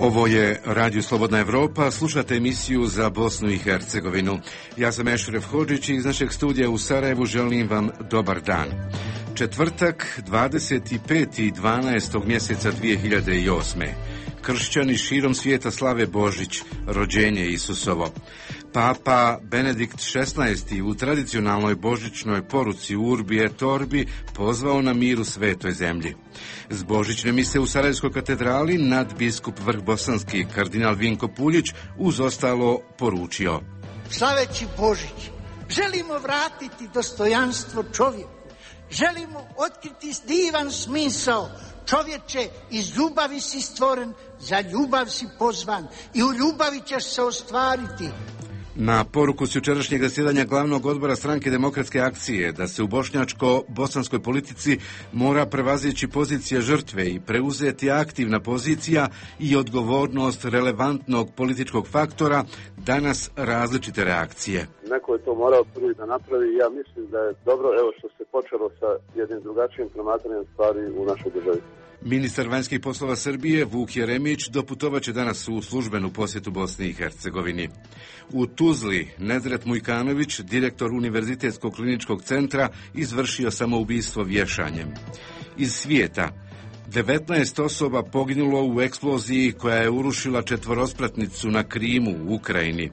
Ovo je Radio Slobodna Evropa, slušate emisiju za Bosnu i Hercegovinu. Ja sam Ešref Hodžić i iz našeg studija u Sarajevu želim vam dobar dan. Četvrtak, 25.12. mjeseca 2008. Kršćani širom svijeta slave Božić, rođenje Isusovo. Papa Benedikt XVI u tradicionalnoj božićnoj poruci Urbi et Orbi pozvao na mir u svetoj zemlji. S božićne mise u Sarajevskoj katedrali nadbiskup Vrhbosanski kardinal Vinko Puljić uz ostalo poručio: slaveći Božić, želimo vratiti dostojanstvo čovjeku, želimo otkriti divan smisao. Čovječe, iz ljubavi si stvoren, za ljubav si pozvan i u ljubavi ćeš se ostvariti. Na poruku s jučerašnjeg zasjedanja glavnog odbora Stranke demokratske akcije da se u bošnjačko-bosanskoj politici mora prevazići pozicija žrtve i preuzeti aktivna pozicija i odgovornost relevantnog političkog faktora, danas različite reakcije. Neko je to morao prvi da napravi i ja mislim da je dobro što se počelo sa jednim drugačijim promatranjem stvari u našoj državi. Ministar vanjskih poslova Srbije Vuk Jeremić doputovaće danas u službenu posjetu Bosni i Hercegovini. U Tuzli Nedret Mujkanović, direktor Univerzitetskog kliničkog centra, izvršio samoubistvo vješanjem. Iz svijeta 19 osoba poginulo u eksploziji koja je urušila četvorospratnicu na Krimu u Ukrajini.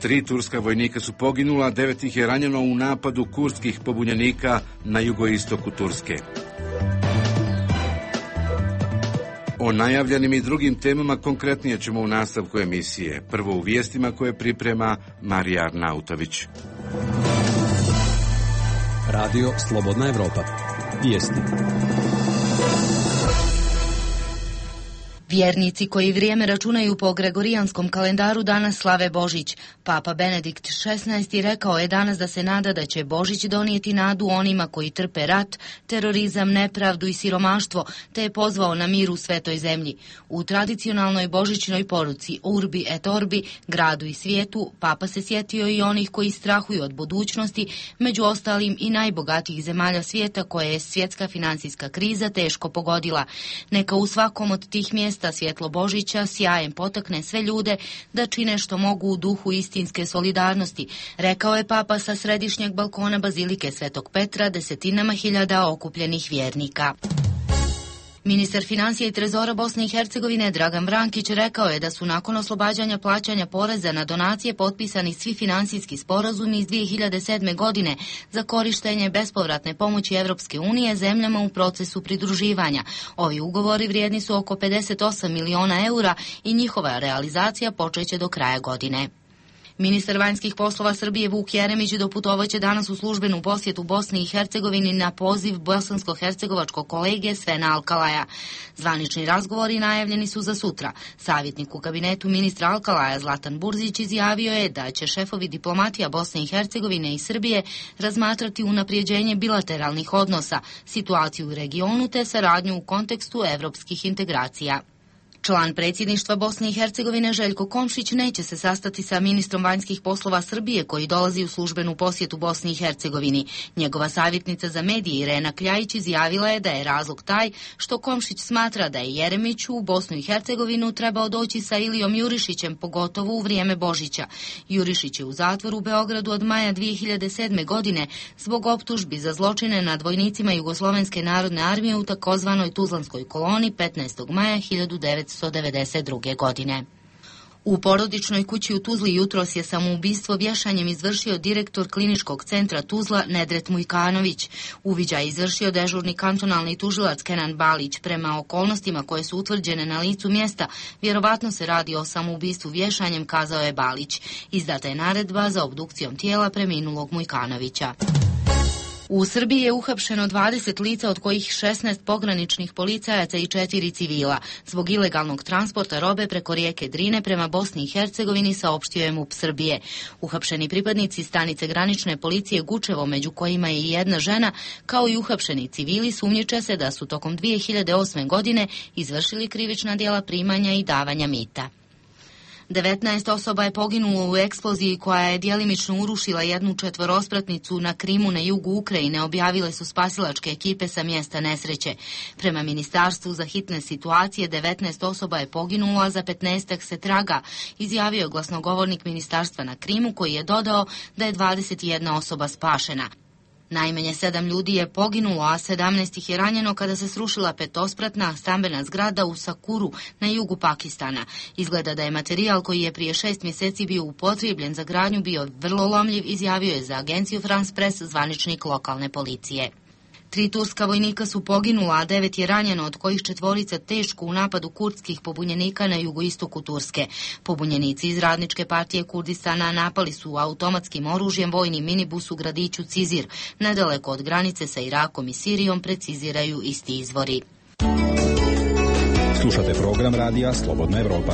3 turska vojnika su poginula, 9 ih je ranjeno u napadu kurdskih pobunjenika na jugoistoku Turske. O najavljenim i drugim temama konkretnije ćemo u nastavku emisije. Prvo u vijestima koje priprema Marija Arnautović. Radio Slobodna Evropa. Vijesti. Vjernici koji vrijeme računaju po gregorijanskom kalendaru danas slave Božić. Papa Benedikt XVI rekao je danas da se nada da će Božić donijeti nadu onima koji trpe rat, terorizam, nepravdu i siromaštvo, te je pozvao na mir u svetoj zemlji. U tradicionalnoj božićnoj poruci Urbi et Orbi, gradu i svijetu, Papa se sjetio i onih koji strahuju od budućnosti, među ostalim i najbogatijih zemalja svijeta koje je svjetska financijska kriza teško pogodila. Neka u svakom od tih mjesta svjetlo Božića sjajem potakne sve ljude da čine što mogu u duhu istinske solidarnosti, rekao je Papa sa središnjeg balkona Bazilike Svetog Petra desetinama hiljada okupljenih vjernika. Ministar financija i trezora Bosne i Hercegovine Dragan Vrankić rekao je da su nakon oslobađanja plaćanja poreza na donacije potpisani svi financijski sporazumi iz 2007. godine za korištenje bespovratne pomoći Evropske unije zemljama u procesu pridruživanja. Ovi ugovori vrijedni su oko 58 miliona eura i njihova realizacija počeće do kraja godine. Ministar vanjskih poslova Srbije Vuk Jeremić doputovaće danas u službenu posjetu Bosni i Hercegovini na poziv bosansko-hercegovačkog kolege Svena Alkalaja. Zvanični razgovori najavljeni su za sutra. Savjetnik u kabinetu ministra Alkalaja Zlatan Burzić izjavio je da će šefovi diplomatija Bosne i Hercegovine i Srbije razmatrati unaprijeđenje bilateralnih odnosa, situaciju u regionu te saradnju u kontekstu evropskih integracija. Član predsjedništva Bosne i Hercegovine Željko Komšić neće se sastati sa ministrom vanjskih poslova Srbije koji dolazi u službenu posjetu Bosni i Hercegovini. Njegova savjetnica za medije Irena Kljajić izjavila je da je razlog taj što Komšić smatra da je Jeremić u Bosnu i Hercegovinu trebao doći sa Ilijom Jurišićem, pogotovo u vrijeme Božića. Jurišić je u zatvoru u Beogradu od maja 2007. godine zbog optužbi za zločine nad vojnicima Jugoslovenske narodne armije u takozvanoj Tuzlanskoj koloni 15. maja 1992. godine. U porodičnoj kući u Tuzli jutros je samoubistvo vješanjem izvršio direktor kliničkog centra Tuzla Nedret Mujkanović. Uviđaj je izvršio dežurni kantonalni tužilac Kenan Balić. Prema okolnostima koje su utvrđene na licu mjesta, vjerovatno se radi o samoubistvu vješanjem, kazao je Balić. Izdata je naredba za obdukcijom tijela preminulog Mujkanovića. U Srbiji je uhapšeno 20 lica, od kojih 16 pograničnih policajaca i 4 civila, zbog ilegalnog transporta robe preko rijeke Drine prema Bosni i Hercegovini, saopštio je MUP Srbije. Uhapšeni pripadnici stanice granične policije Gučevo, među kojima je i jedna žena, kao i uhapšeni civili, sumnjiče se da su tokom 2008. godine izvršili krivična djela primanja i davanja mita. 19 osoba je poginulo u eksploziji koja je djelimično urušila jednu četvorospratnicu na Krimu na jugu Ukrajine, objavile su spasilačke ekipe sa mjesta nesreće. Prema Ministarstvu za hitne situacije 19 osoba je poginulo, a za 15 se traga, izjavio je glasnogovornik ministarstva na Krimu, koji je dodao da je 21 osoba spašena. Najmanje 7 ljudi je poginulo, a 17 ih je ranjeno kada se srušila petospratna stambena zgrada u Sakuru na jugu Pakistana. Izgleda da je materijal koji je prije 6 mjeseci bio upotrebljen za gradnju bio vrlo lomljiv, izjavio je za agenciju France Press zvaničnik lokalne policije. 3 turska vojnika su poginula, a 9 je ranjeno, od kojih 4 teško u napadu kurdskih pobunjenika na jugoistoku Turske. Pobunjenici iz Radničke partije Kurdistana napali su automatskim oružjem vojni minibus u gradiću Cizir, nedaleko od granice sa Irakom i Sirijom, preciziraju isti izvori. Slušate program radija Slobodna Evropa.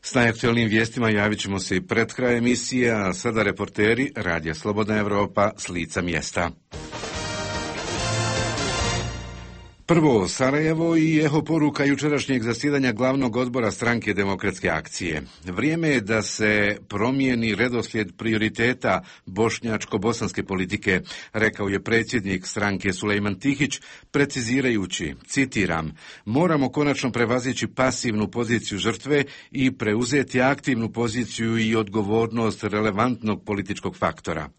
S najaktualnim vijestima javit ćemo se i pred kraj emisije, a sada reporteri Radija Slobodna Evropa s lica mjesta. Prvo, Sarajevo i eho poruka jučerašnjeg zasjedanja glavnog odbora Stranke demokratske akcije. Vrijeme je da se promijeni redoslijed prioriteta bošnjačko-bosanske politike, rekao je predsjednik stranke Sulejman Tihić, precizirajući, citiram, moramo konačno prevazići pasivnu poziciju žrtve i preuzeti aktivnu poziciju i odgovornost relevantnog političkog faktora.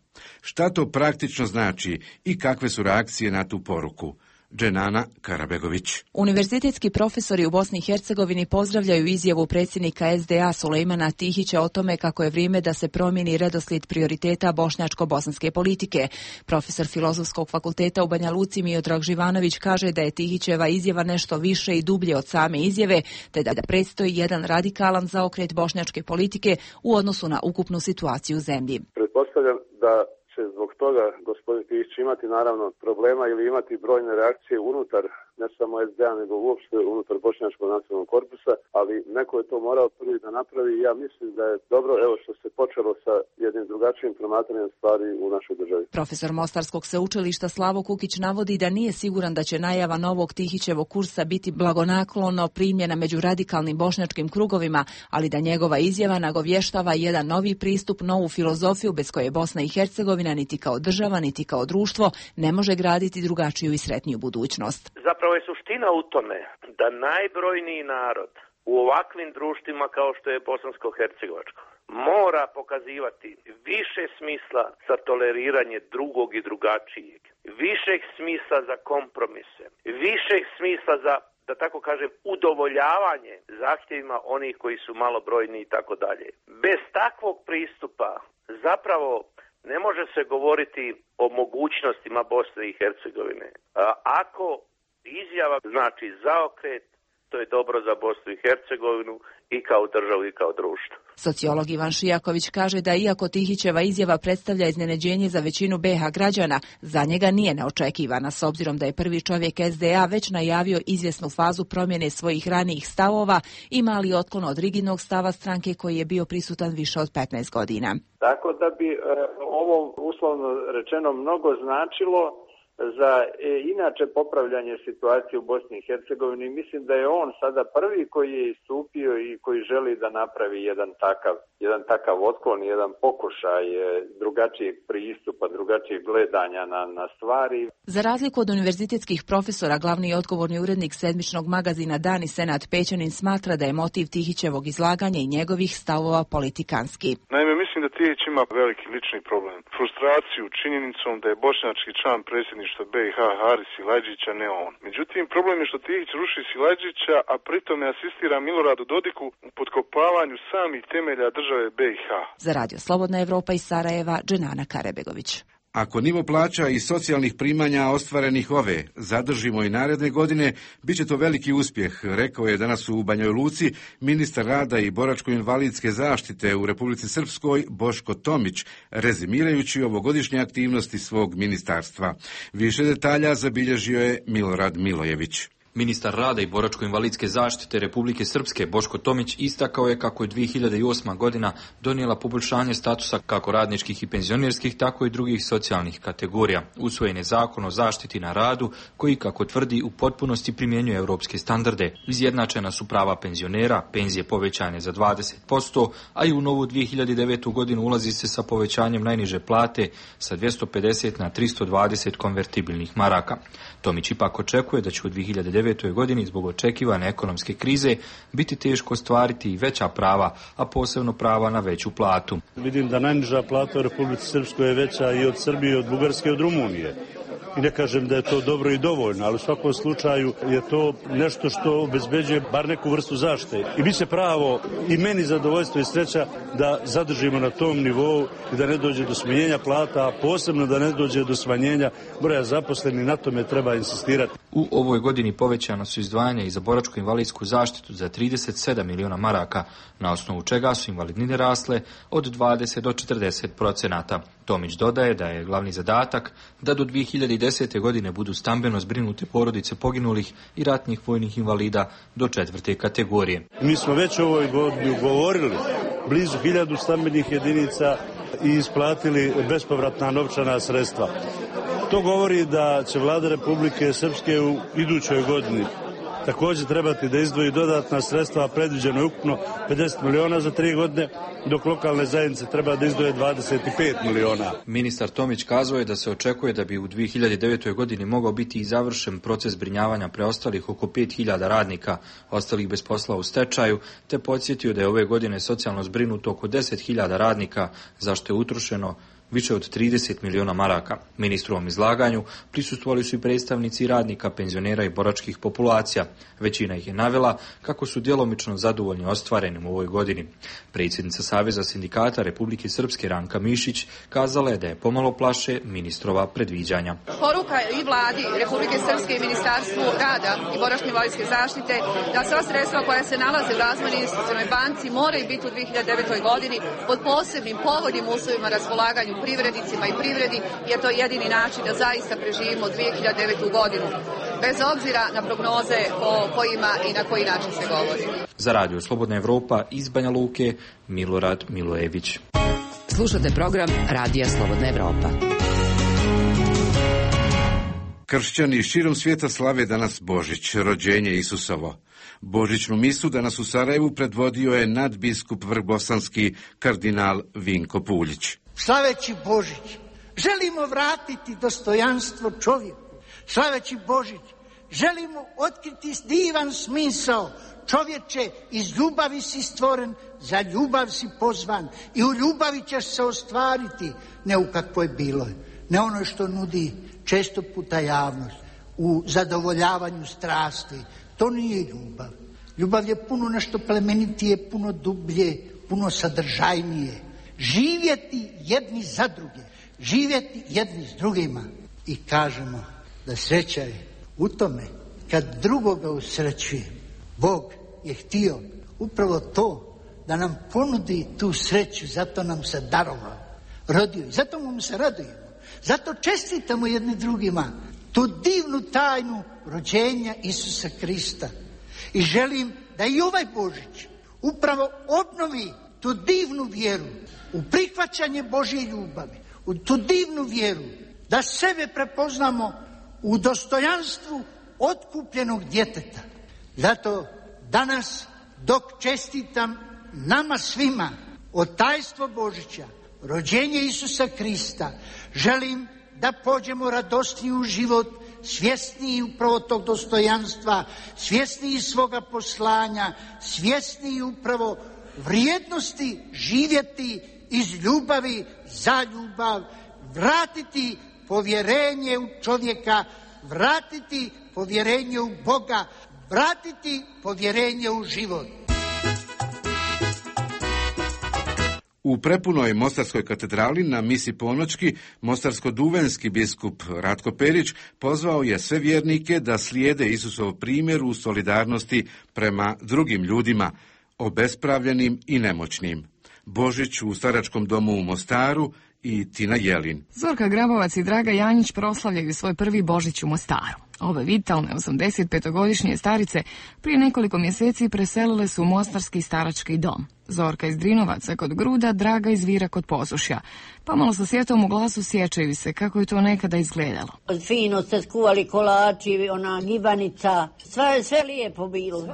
Šta to praktično znači i kakve su reakcije na tu poruku? Dženana Karabegović. Univerzitetski profesori u Bosni i Hercegovini pozdravljaju izjavu predsjednika SDA Sulejmana Tihića o tome kako je vrijeme da se promijeni redoslijed prioriteta bošnjačko-bosanske politike. Profesor Filozofskog fakulteta u Banja Luci Miodrag Živanović kaže da je Tihićeva izjava nešto više i dublje od same izjave, te da predstoji jedan radikalan zaokret bošnjačke politike u odnosu na ukupnu situaciju u zemlji. Pretpostavljam da će zbog toga gospodin Tihić imati naravno problema ili imati brojne reakcije unutar ne samo SDA nego uopšte unutar Bošnjačkog nacionalnog korpusa, ali neko je to morao prvi da napravi i ja mislim da je dobro evo što se počelo sa jednim drugačijim promatranjem stvari u našoj državi. Profesor Mostarskog sveučilišta Slavo Kukić navodi da nije siguran da će najava novog Tihićevog kursa biti blagonaklono primljena među radikalnim bošnjačkim krugovima, ali da njegova izjava nagovještava jedan novi pristup, novu filozofiju bez koje Bosna i Hercegovina niti kao država, niti kao društvo ne može graditi drugačiju i sretniju budućnost. Zapravo je suština u tome da najbrojniji narod u ovakvim društvima kao što je bosansko-hercegovačko mora pokazivati više smisla za toleriranje drugog i drugačijeg, višeg smisla za kompromise, višeg smisla za, da tako kažem, udovoljavanje zahtjevima onih koji su malobrojni i tako dalje. Bez takvog pristupa zapravo ne može se govoriti o mogućnostima Bosne i Hercegovine. Ako izjava znači zaokret, to je dobro za Bosnu i Hercegovinu i kao državu i kao društvo. Sociolog Ivan Šijaković kaže da iako Tihićeva izjava predstavlja iznenađenje za većinu BiH građana, za njega nije neočekivana, s obzirom da je prvi čovjek SDA već najavio izvjesnu fazu promjene svojih ranijih stavova i mali otklon od rigidnog stava stranke koji je bio prisutan više od 15 godina. Tako da bi ovo uslovno rečeno mnogo značilo za inače popravljanje situacije u Bosni i Hercegovini. Mislim da je on sada prvi koji je istupio i koji želi da napravi jedan takav otklon, jedan pokušaj drugačijeg pristupa, drugačijeg gledanja na stvari. Za razliku od univerzitetskih profesora, glavni i odgovorni urednik sedmičnog magazina Dan i Senad Pećanin smatra da je motiv Tihićevog izlaganja i njegovih stavova politikanski. Naime, mislim da Tihić ima veliki lični problem. Frustraciju činjenicom da je bošnjački član predsjedništva BiH Haris Silajdžića, ne on. Međutim, problem je što Tihić ruši Silajdžića, a pritome asistira Miloradu Dodiku u potkopavanju samih temelja države BiH. Za Radio Slobodna Evropa iz Sarajeva, Dženana Karabegović. Ako nivo plaća i socijalnih primanja ostvarenih ove zadržimo i naredne godine, bit će to veliki uspjeh, rekao je danas u Banjoj Luci ministar rada i boračko-invalidske zaštite u Republici Srpskoj Boško Tomić, rezimirajući ovogodišnje aktivnosti svog ministarstva. Više detalja zabilježio je Milorad Milojević. Ministar rada i boračko-invalidske zaštite Republike Srpske Boško Tomić istakao je kako je 2008. godina donijela poboljšanje statusa kako radničkih i penzionerskih, tako i drugih socijalnih kategorija. Usvojen je zakon o zaštiti na radu koji, kako tvrdi, u potpunosti primjenjuje europske standarde. Izjednačena su prava penzionera, penzije povećane za 20%, a i u novu 2009. godinu ulazi se sa povećanjem najniže plate sa 250 na 320 konvertibilnih maraka. Tomić ipak očekuje da će u 2009. godini zbog očekivane ekonomske krize biti teško ostvariti i veća prava, a posebno prava na veću platu. Vidim da najniža plata u Republici Srpskoj je veća i od Srbije, od Bugarske, i od Rumunije. I ne kažem da je to dobro i dovoljno, ali u svakom slučaju je to nešto što obezbeđuje bar neku vrstu zaštite. I bit će pravo i meni zadovoljstvo i sreća da zadržimo na tom nivou i da ne dođe do smanjenja plata, a posebno da ne dođe do smanjenja broja zaposlenih, na tome treba insistirati. U ovoj godini povećana su izdvajanja i za boračko-invalidsku zaštitu za 37 miliona maraka, na osnovu čega su invalidnine rasle od 20 do 40%. Tomić dodaje da je glavni zadatak da do 2010. godine budu stambeno zbrinute porodice poginulih i ratnih vojnih invalida do 4. kategorije. Mi smo već u ovoj godini ugovorili blizu 1000 stambenih jedinica i isplatili bespovratna novčana sredstva. To govori da će Vlada Republike Srpske u idućoj godini također trebati da izdvoji dodatna sredstva, predviđeno je ukupno 50 miliona za 3 godine, dok lokalne zajednice treba da izdvoje 25 miliona. Ministar Tomić kazao je da se očekuje da bi u 2009. godini mogao biti i završen proces zbrinjavanja preostalih oko 5000 radnika, ostalih bez posla u stečaju, te podsjetio da je ove godine socijalno zbrinuto oko 10.000 radnika, za što je utrošeno više od 30 miliona maraka. Ministrovom izlaganju prisustvovali su i predstavnici radnika, penzionera i boračkih populacija. Većina ih je navela kako su djelomično zadovoljni ostvarenim u ovoj godini. Predsjednica Saveza sindikata Republike Srpske Ranka Mišić kazala je da je pomalo plaše ministrova predviđanja. Poruka i vladi Republike Srpske i Ministarstvu rada i boračko-invalidske zaštite da sva sredstva koja se nalaze u Razvojnoj investicionoj banci moraju biti u 2009. godini pod posebnim povoljnim uslovima raspolaganju privrednicima i privredi, jer to je jedini način da zaista preživimo 2009. godinu, bez obzira na prognoze o kojima i na koji način se govori. Za Radio Slobodna Evropa iz Banja Luke, Milorad Milojević. Slušate program Radija Slobodna Evropa. Kršćani širom svijeta slave danas Božić, rođenje Isusovo. Božićnu misu danas u Sarajevu predvodio je nadbiskup vrhbosanski kardinal Vinko Puljić. Slaveći Božić, želimo vratiti dostojanstvo čovjeku. Slaveći Božić, želimo otkriti divan smisao. Čovječe, iz ljubavi si stvoren, za ljubav si pozvan i u ljubavi ćeš se ostvariti, ne u kakvoj bilo je, ne ono što nudi često puta javnost, u zadovoljavanju strasti. To nije ljubav. Ljubav je puno nešto plemenitije, puno dublje, puno sadržajnije. Živjeti jedni za druge, živjeti jedni s drugima. I kažemo da sreća je u tome kad drugoga usrećuje. Bog je htio upravo to, da nam ponudi tu sreću, zato nam se darovao, rodio. Zato mu se radujemo, zato čestitamo jedni drugima tu divnu tajnu rođenja Isusa Krista. I želim da i ovaj Božić upravo obnovi tu divnu vjeru u prihvaćanje Božje ljubavi, u tu divnu vjeru da sebe prepoznamo u dostojanstvu otkupljenog djeteta. Zato danas, dok čestitam nama svima od tajstvo Božića, rođenje Isusa Krista, želim da pođemo radosniji u život, svjesniji upravo tog dostojanstva, svjesniji svoga poslanja, svjesniji upravo vrijednosti živjeti iz ljubavi za ljubav, vratiti povjerenje u čovjeka, vratiti povjerenje u Boga, vratiti povjerenje u život. U prepunoj Mostarskoj katedrali na misi ponoćki mostarsko-duvenski biskup Ratko Perić pozvao je sve vjernike da slijede Isusov primjer u solidarnosti prema drugim ljudima, obespravljenim i nemoćnim. Božić u staračkom domu u Mostaru i Tina Jelin. Zorka Grabovac i Draga Janjić proslavljaju svoj prvi Božić u Mostaru. Ove vitalne 85-godišnje starice prije nekoliko mjeseci preselile su u mostarski starački dom. Zorka iz Drinovaca kod Gruda, Draga iz Vira kod Posušja. Pomalo sa sjetom u glasu sjećaju se kako je to nekada izgledalo. Fino ste skuvali kolači, ona gibanica, sve lijepo bilo.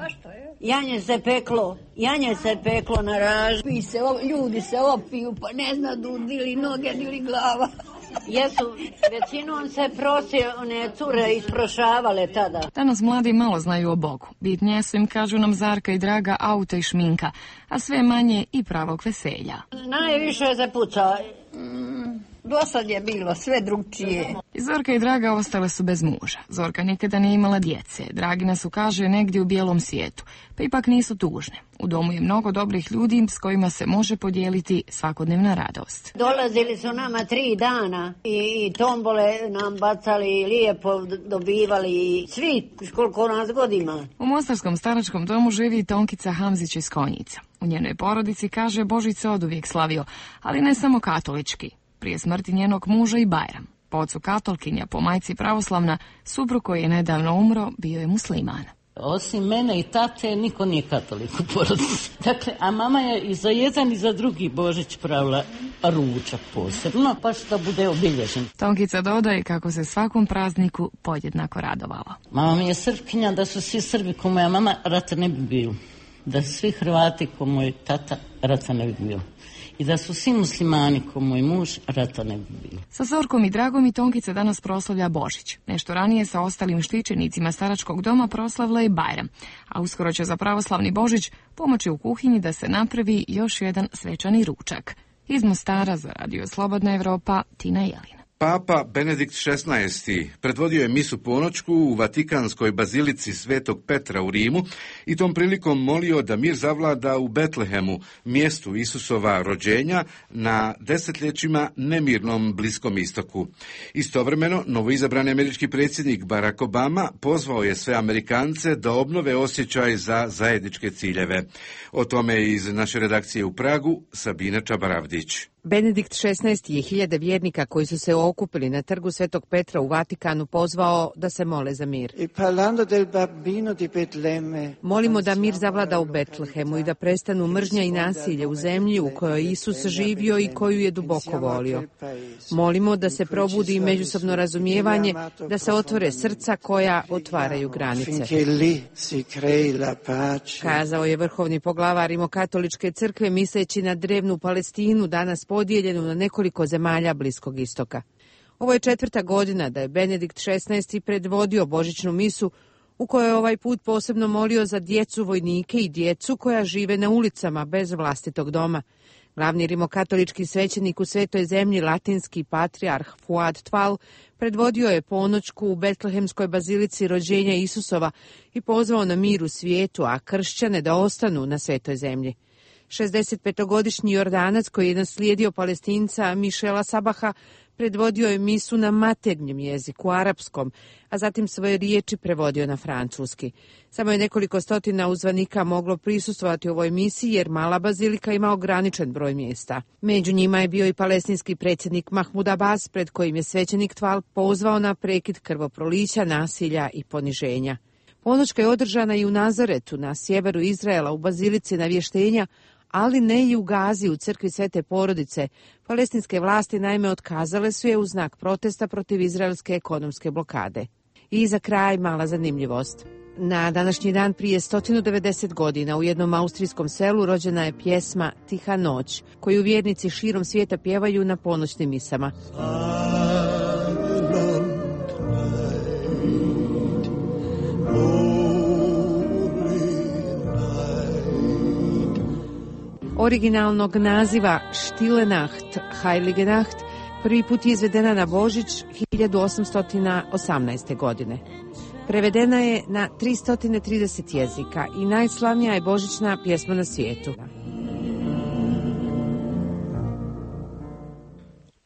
Janje se peklo na raž. Ljudi se opiju, pa ne zna ili noge, ili glava. Jesu, većinom se one cure isprošavale tada. Danas mladi malo znaju o Bogu. Bitnije su im, kažu nam Zarka i Draga, auta i šminka, a sve manje i pravog veselja. Najviše se puca. Dosad je bilo sve drugčije. I Zorka i Draga ostale su bez muža. Zorka nikada nije imala djece. Dragina su, kaže, negdje u bijelom svijetu, pa ipak nisu tužne. U domu je mnogo dobrih ljudi s kojima se može podijeliti svakodnevna radost. Dolazili su nama 3 dana i tombole nam bacali, lijepo dobivali i svi koliko nas godima. U mostarskom staračkom domu živi Tonkica Hamzić iz Konjica. U njenoj porodici, kaže, Božić se oduvijek slavio, ali ne samo katolički. Prije smrti njenog muža i Bajram. Po ocu katolkinja, po majci pravoslavna, suprug koji je nedavno umro bio je musliman. Osim mene i tate, niko nije katolik u porodici. Dakle, a mama je i za jedan i za drugi Božić pravila ručak posebno, pa što bude obilježen. Tonkica dodaje kako se svakom prazniku podjednako radovala. Mama mi je Srpkinja, da su svi Srbi ko moja mama, rata ne bi bilo. Da su svi Hrvati ko moj tata, rata ne bi bilo. I da su svi muslimani ko moj muž, rata ne bi bilo. Sa Zorkom i Dragom i Tonkica danas proslavlja Božić. Nešto ranije sa ostalim štićenicima staračkog doma proslavila i Bajram, a uskoro će za pravoslavni Božić pomoći u kuhinji da se napravi još jedan svečani ručak. Iz Mostara za Radio Slobodna Evropa, Tina Jelina. Papa Benedikt XVI. Predvodio je misu ponoćku u Vatikanskoj bazilici Svetog Petra u Rimu i tom prilikom molio da mir zavlada u Betlehemu, mjestu Isusova rođenja na desetljećima nemirnom Bliskom istoku. Istovremeno, novoizabrani američki predsjednik Barack Obama pozvao je sve Amerikance da obnove osjećaj za zajedničke ciljeve. O tome iz naše redakcije u Pragu, Sabina Čabaravdić. Benedikt XVI. Je hiljade vjernika koji su se okupili na trgu Svetog Petra u Vatikanu pozvao da se mole za mir. Molimo da mir zavlada u Betlehemu i da prestanu mržnja i nasilje u zemlji u kojoj je Isus živio i koju je duboko volio. Molimo da se probudi međusobno razumijevanje, da se otvore srca koja otvaraju granice. Kazao je vrhovni poglavar Rimokatoličke crkve misleći na drevnu Palestinu, danas podijeljenu na nekoliko zemalja Bliskog istoka. Ovo je 4. godina da je Benedikt XVI. Predvodio božićnu misu u kojoj je ovaj put posebno molio za djecu vojnike i djecu koja žive na ulicama bez vlastitog doma. Glavni rimokatolički svećenik u Svetoj zemlji, latinski patrijarh Fuad Tval, predvodio je ponoćku u Betlehemskoj bazilici rođenja Isusova i pozvao na mir u svijetu, a kršćane da ostanu na Svetoj zemlji. 65-godišnji Jordanac koji je naslijedio Palestinca Mišela Sabaha predvodio je misu na maternjem jeziku, arapskom, a zatim svoje riječi prevodio na francuski. Samo je nekoliko stotina uzvanika moglo prisustvovati ovoj misiji jer mala bazilika ima ograničen broj mjesta. Među njima je bio i palestinski predsjednik Mahmud Abbas, pred kojim je svećenik Tval pozvao na prekid krvoprolića, nasilja i poniženja. Ponoćka je održana i u Nazaretu, na sjeveru Izraela, u bazilici Navještenja, ali ne i u Gazi, u crkvi Svete Porodice. Palestinske vlasti naime otkazale su je u znak protesta protiv izraelske ekonomske blokade. I za kraj mala zanimljivost. Na današnji dan prije 190 godina u jednom austrijskom selu rođena je pjesma Tiha noć, koju vjernici širom svijeta pjevaju na ponoćnim misama. Originalnog naziva Stille Nacht, Heilige Nacht, prvi put je izvedena na Božić 1818. godine. Prevedena je na 330 jezika i najslavnija je božićna pjesma na svijetu.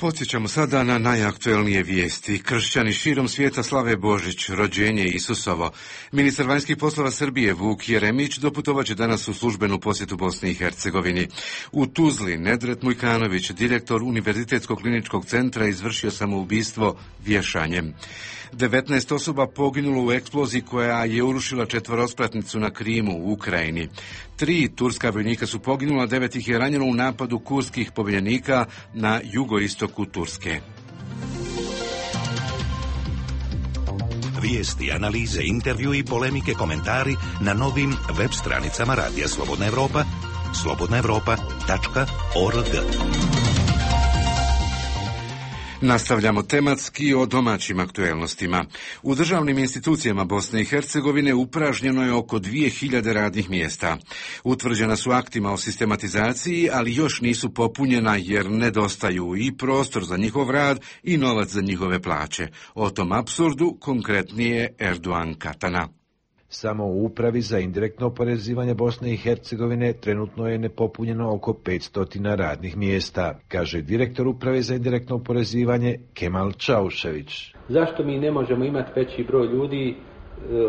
Podsjećamo sada na najaktuelnije vijesti. Kršćani širom svijeta slave Božić, rođenje Isusovo. Ministar vanjskih poslova Srbije Vuk Jeremić doputovaće danas u službenu posjetu Bosni i Hercegovini. U Tuzli Nedret Mujkanović, direktor Univerzitetskog kliničkog centra, izvršio samoubistvo vješanjem. 19 osoba poginulo u eksploziji koja je urušila četvorospratnicu na Krimu u Ukrajini. 3 turska vojnika su poginula, 9 ih je ranjeno u napadu kurskih pobunjenika na jugoistoku Turske. Vijesti, analize, intervju i polemike, komentari na novim web stranicama Radija Slobodna Evropa, slobodnaevropa.org. Nastavljamo tematski o domaćim aktuelnostima. U državnim institucijama Bosne i Hercegovine upražnjeno je oko 2000 radnih mjesta. Utvrđena su aktima o sistematizaciji, ali još nisu popunjena jer nedostaju i prostor za njihov rad i novac za njihove plaće. O tom apsurdu konkretnije Erdogan Katana. Samo u Upravi za indirektno oporezivanje Bosne i Hercegovine trenutno je nepopunjeno oko 500 radnih mjesta, kaže direktor Uprave za indirektno oporezivanje Kemal Čaušević. Zašto mi ne možemo imati veći broj ljudi?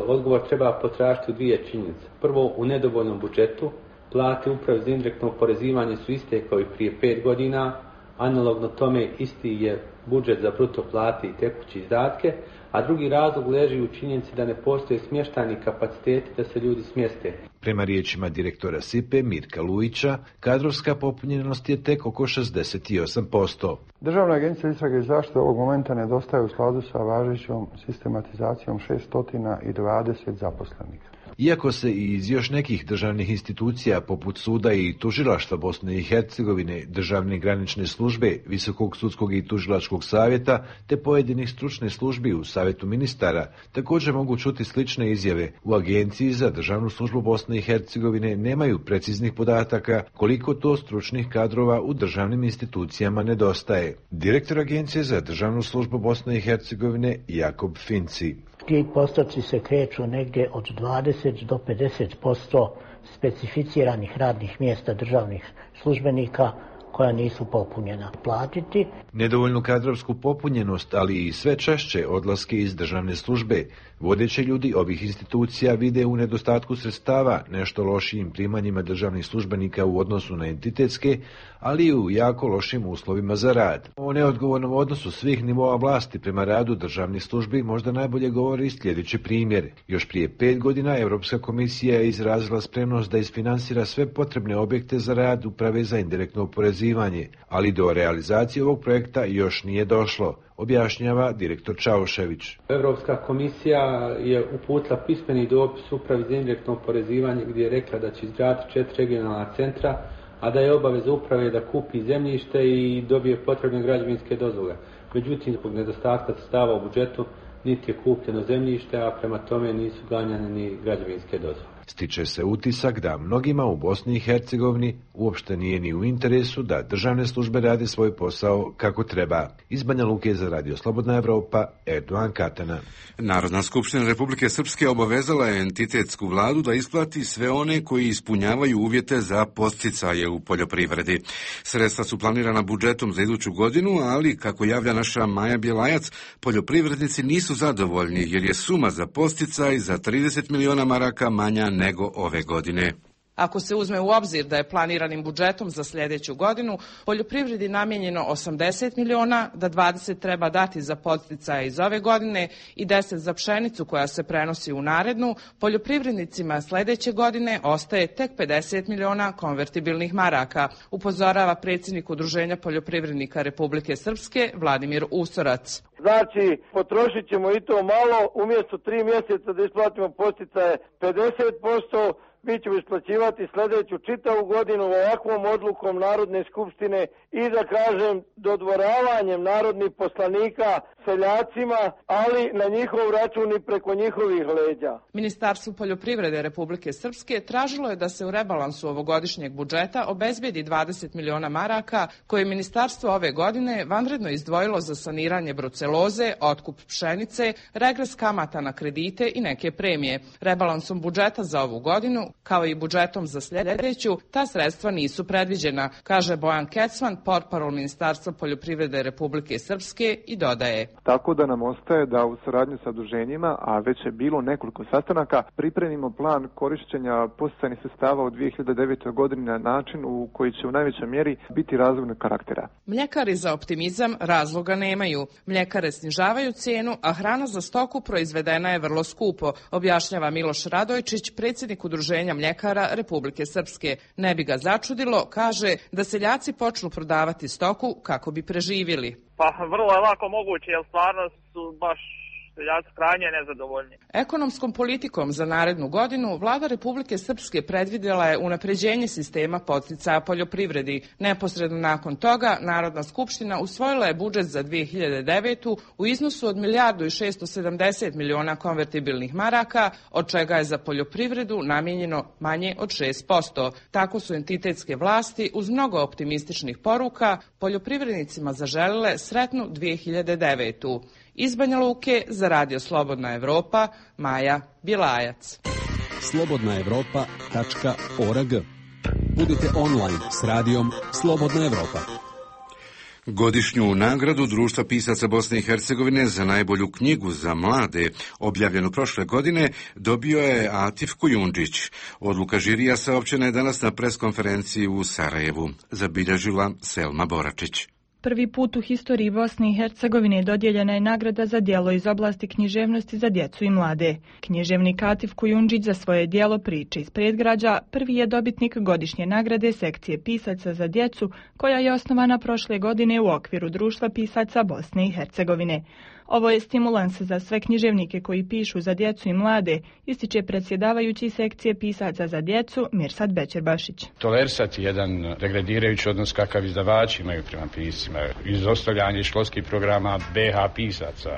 Odgovor treba potražiti u dvije činjenice. Prvo, u nedovoljnom budžetu. Plate Uprave za indirektno oporezivanje su iste kao i prije 5 godina. Analogno tome isti je budžet za bruto plate i tekuće izdatke, a drugi razlog leži u činjenici da ne postoje smještajni kapaciteti da se ljudi smjeste. Prema riječima direktora SIPE Mirka Lujića, kadrovska popunjenost je tek oko 68%. Državna agencija istrage i zaštite ovog momenta nedostaje u skladu sa važećom sistematizacijom 620 zaposlenih. Iako se i iz još nekih državnih institucija poput suda i tužilaštva Bosne i Hercegovine, državne granične službe, Visokog sudskog i tužilačkog savjeta te pojedinih stručnih službi u Savjetu ministara također mogu čuti slične izjave, u Agenciji za državnu službu Bosne i Hercegovine nemaju preciznih podataka koliko to stručnih kadrova u državnim institucijama nedostaje. Direktor Agencije za državnu službu Bosne i Hercegovine Jakob Finci. Ti postoci se kreću negdje od 20 do 50% specificiranih radnih mjesta državnih službenika koja nisu popunjena platiti. Nedovoljnu kadrovsku popunjenost, ali i sve češće odlaske iz državne službe. Vodeći ljudi ovih institucija vide u nedostatku sredstava, nešto lošijim primanjima državnih službenika u odnosu na entitetske, ali i u jako lošim uslovima za rad. O neodgovornom odnosu svih nivoa vlasti prema radu državnih službi možda najbolje govori sljedeći primjer. Još prije 5 godina Europska komisija je izrazila spremnost da isfinansira sve potrebne objekte za rad Uprave za indirektno oporezivanje, ali do realizacije ovog projekta još nije došlo, objašnjava direktor Čaušević. Europska komisija je uputila pismeni dopis Upravi za indirektno oporezivanje gdje je rekla da će izgraditi 4 regionalna centra, a da je obaveza uprave da kupi zemljište i dobije potrebne građevinske dozvole. Međutim, zbog nedostatka sredstava u budžetu niti je kupljeno zemljište, a prema tome nisu ganjane ni građevinske dozvole. Stiče se utisak da mnogima u Bosni i Hercegovini uopšte nije ni u interesu da državne službe rade svoj posao kako treba. Iz Banja Luke za Radio Slobodna Evropa, Erdogan Katana. Narodna skupština Republike Srpske obavezala je entitetsku vladu da isplati sve one koji ispunjavaju uvjete za podsticaje u poljoprivredi. Sredstva su planirana budžetom za iduću godinu, ali, kako javlja naša Maja Bjelajac, poljoprivrednici nisu zadovoljni jer je suma za podsticaj za 30 miliona maraka manja nego ove godine. Ako se uzme u obzir da je planiranim budžetom za sljedeću godinu poljoprivredi namijenjeno 80 miliona, da 20 treba dati za podsticaje iz ove godine i 10 za pšenicu koja se prenosi u narednu, poljoprivrednicima sljedeće godine ostaje tek 50 miliona konvertibilnih maraka, upozorava predsjednik Udruženja poljoprivrednika Republike Srpske Vladimir Usorac. Znači, potrošit ćemo i to malo, umjesto 3 mjeseca da isplatimo podsticaje 50%, mi ćemo isplaćivati sljedeću čitavu godinu ovakvom odlukom Narodne skupštine i da kažem dodvoravanjem narodnih poslanika seljacima, ali na njihov račun i preko njihovih leđa. Ministarstvo poljoprivrede Republike Srpske tražilo je da se u rebalansu ovogodišnjeg budžeta obezbedi 20 miliona maraka koje je ministarstvo ove godine vanredno izdvojilo za saniranje bruceloze, otkup pšenice, regres kamata na kredite i neke premije. Rebalansom budžeta za ovu godinu, kao i budžetom za sljedeću, ta sredstva nisu predviđena, kaže Bojan Kecman, portparol Ministarstva poljoprivrede Republike Srpske i dodaje. Tako da nam ostaje da u saradnji sa udruženjima, a već je bilo nekoliko sastanaka, pripremimo plan korišćenja podsticajnih sredstava u 2009. godini na način u koji će u najvećoj mjeri biti razvojnog karaktera. Mljekari za optimizam razloga nemaju. Mljekare snižavaju cijenu, a hrana za stoku proizvedena je vrlo skupo, objašnjava Miloš Radojčić, predsjednik Udruženja mljekara Republike Srpske. Ne bi ga začudilo, kaže, da seljaci počnu prodavati stoku kako bi preživjeli. Pa vrlo je lako moguće, jer stvarno su baš seljaci krajnje nezadovoljni. Ekonomskom politikom za narednu godinu Vlada Republike Srpske predvidjela je unapređenje sistema podsticaja poljoprivredi. Neposredno nakon toga Narodna skupština usvojila je budžet za 2009. u iznosu od 1.670 miliona konvertibilnih maraka, od čega je za poljoprivredu namijenjeno manje od 6%. Tako su entitetske vlasti uz mnogo optimističnih poruka poljoprivrednicima zaželile sretnu 2009. Iz Banja Luke za Radio Slobodna Evropa, Maja Bjelajac. slobodnaevropa.org. Budite online s radijom Slobodna Evropa. Godišnju nagradu Društva pisaca Bosne i Hercegovine za najbolju knjigu za mlade, objavljenu prošle godine, dobio je Atif Kujundžić. Odluka žirija saopćena je danas na preskonferenciji u Sarajevu. Zabilježila Selma Boračić. Prvi put u historiji Bosne i Hercegovine dodijeljena je nagrada za djelo iz oblasti književnosti za djecu i mlade. Književnik Atif Kujundžić za svoje djelo Priče iz predgrađa prvi je dobitnik godišnje nagrade sekcije pisaca za djecu koja je osnovana prošle godine u okviru Društva pisaca Bosne i Hercegovine. Ovo je stimulans za sve književnike koji pišu za djecu i mlade, ističe predsjedavajući sekcije pisaca za djecu Mirsad Bećirbašić. Tolerisati jedan degradirajući odnos kakav izdavači imaju prema piscima, izostavljanje školskih programa BH pisaca,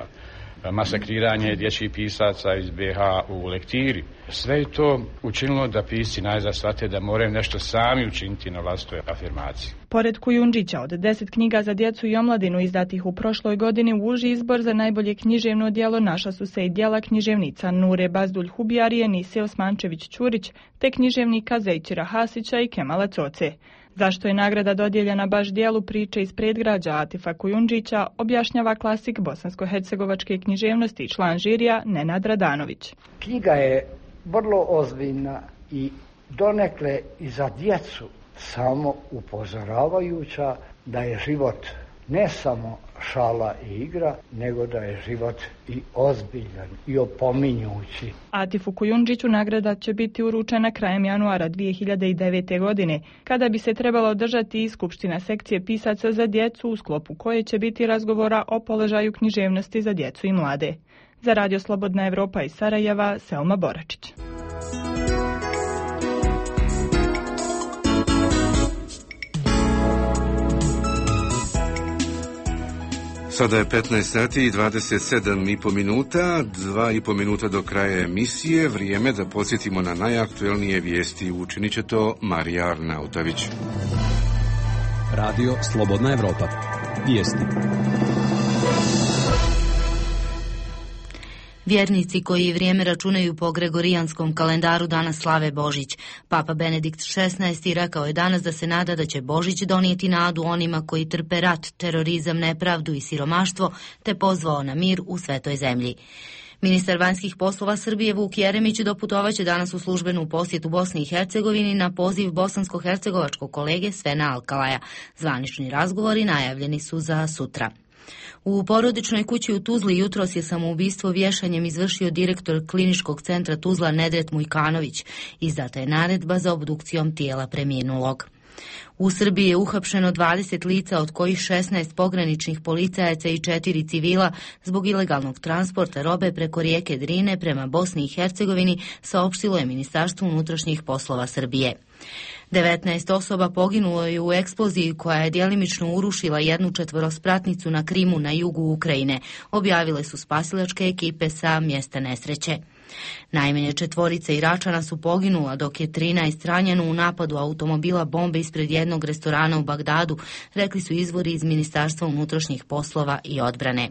masakriranje dječjih pisaca iz BH u lektiri. Sve je to učinilo da pisci najzad shvate da moraju nešto sami učiniti na vlastitoj afirmaciji. Pored Kujundžića, od 10 knjiga za djecu i omladinu izdatih u prošloj godini u uži izbor za najbolje književno djelo našla su se i djela književnica Nure Bazdulj Hubijarije, Nise Osmančević-Ćurić, te književnika Zejčira Hasića i Kemala Coce. Zašto je nagrada dodijeljena baš dijelu Priče iz predgrađa Atifa Kujundžića, objašnjava klasik bosansko-hercegovačke književnosti i član žirija Nenad Radanović. Knjiga je vrlo ozbiljna i donekle i za djecu samo upozoravajuća da je život ne samo šala i igra, nego da je život i ozbiljan i opominjući. Atifu Kujundžiću nagrada će biti uručena krajem januara 2009. godine, kada bi se trebalo održati i skupština sekcije pisaca za djecu, u sklopu koje će biti razgovora o položaju književnosti za djecu i mlade. Za Radio Slobodna Evropa iz Sarajeva, Selma Boračić. Sada je 15 sati i 27,5 minuta, 2,5 minuta do kraja emisije, vrijeme da podsjetimo na najaktuelnije vijesti. Učinit će to Marija Arnautović. Radio Slobodna Evropa. Vijesti. Vjernici koji vrijeme računaju po gregorijanskom kalendaru danas slave Božić. Papa Benedikt XVI rekao je danas da se nada da će Božić donijeti nadu onima koji trpe rat, terorizam, nepravdu i siromaštvo, te pozvao na mir u svetoj zemlji. Ministar vanjskih poslova Srbije Vuk Jeremić doputovaće danas u službenu posjetu Bosni i Hercegovini na poziv bosansko-hercegovačkog kolege Svena Alkalaja. Zvanični razgovori najavljeni su za sutra. U porodičnoj kući u Tuzli jutros je samoubistvo vješanjem izvršio direktor kliničkog centra Tuzla Nedret Mujkanović. Izdata je naredba za obdukcijom tijela preminulog. U Srbiji je uhapšeno 20 lica, od kojih 16 pograničnih policajaca i 4 civila zbog ilegalnog transporta robe preko rijeke Drine prema Bosni i Hercegovini, saopštilo je Ministarstvo unutrašnjih poslova Srbije. 19 osoba poginulo je u eksploziji koja je djelimično urušila jednu četvorospratnicu na Krimu na jugu Ukrajine, objavile su spasilačke ekipe sa mjesta nesreće. Najmanje 4 Iračana su poginula, dok je 13 ranjeno u napadu automobila bombe ispred jednog restorana u Bagdadu, rekli su izvori iz Ministarstva unutrašnjih poslova i odbrane.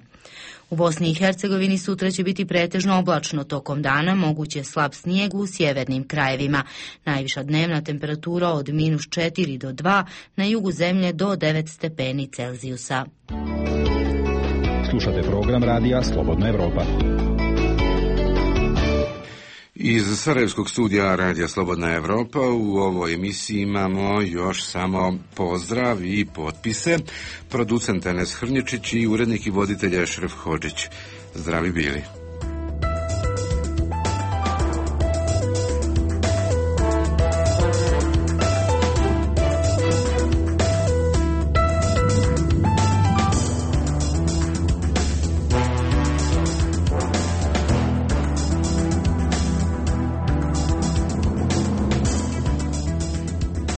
U Bosni i Hercegovini sutra će biti pretežno oblačno, tokom dana moguće slab snijeg u sjevernim krajevima. Najviša dnevna temperatura od -4 do 2, na jugu zemlje do 9 stepeni Celzijusa. Slušate program radija Slobodna Evropa. Iz Sarajevskog studija Radija Slobodna Evropa u ovoj emisiji imamo još samo pozdrav i potpise. Producent Enes Hrnječić i urednik i voditelj Ešref Hodžić. Zdravi bili.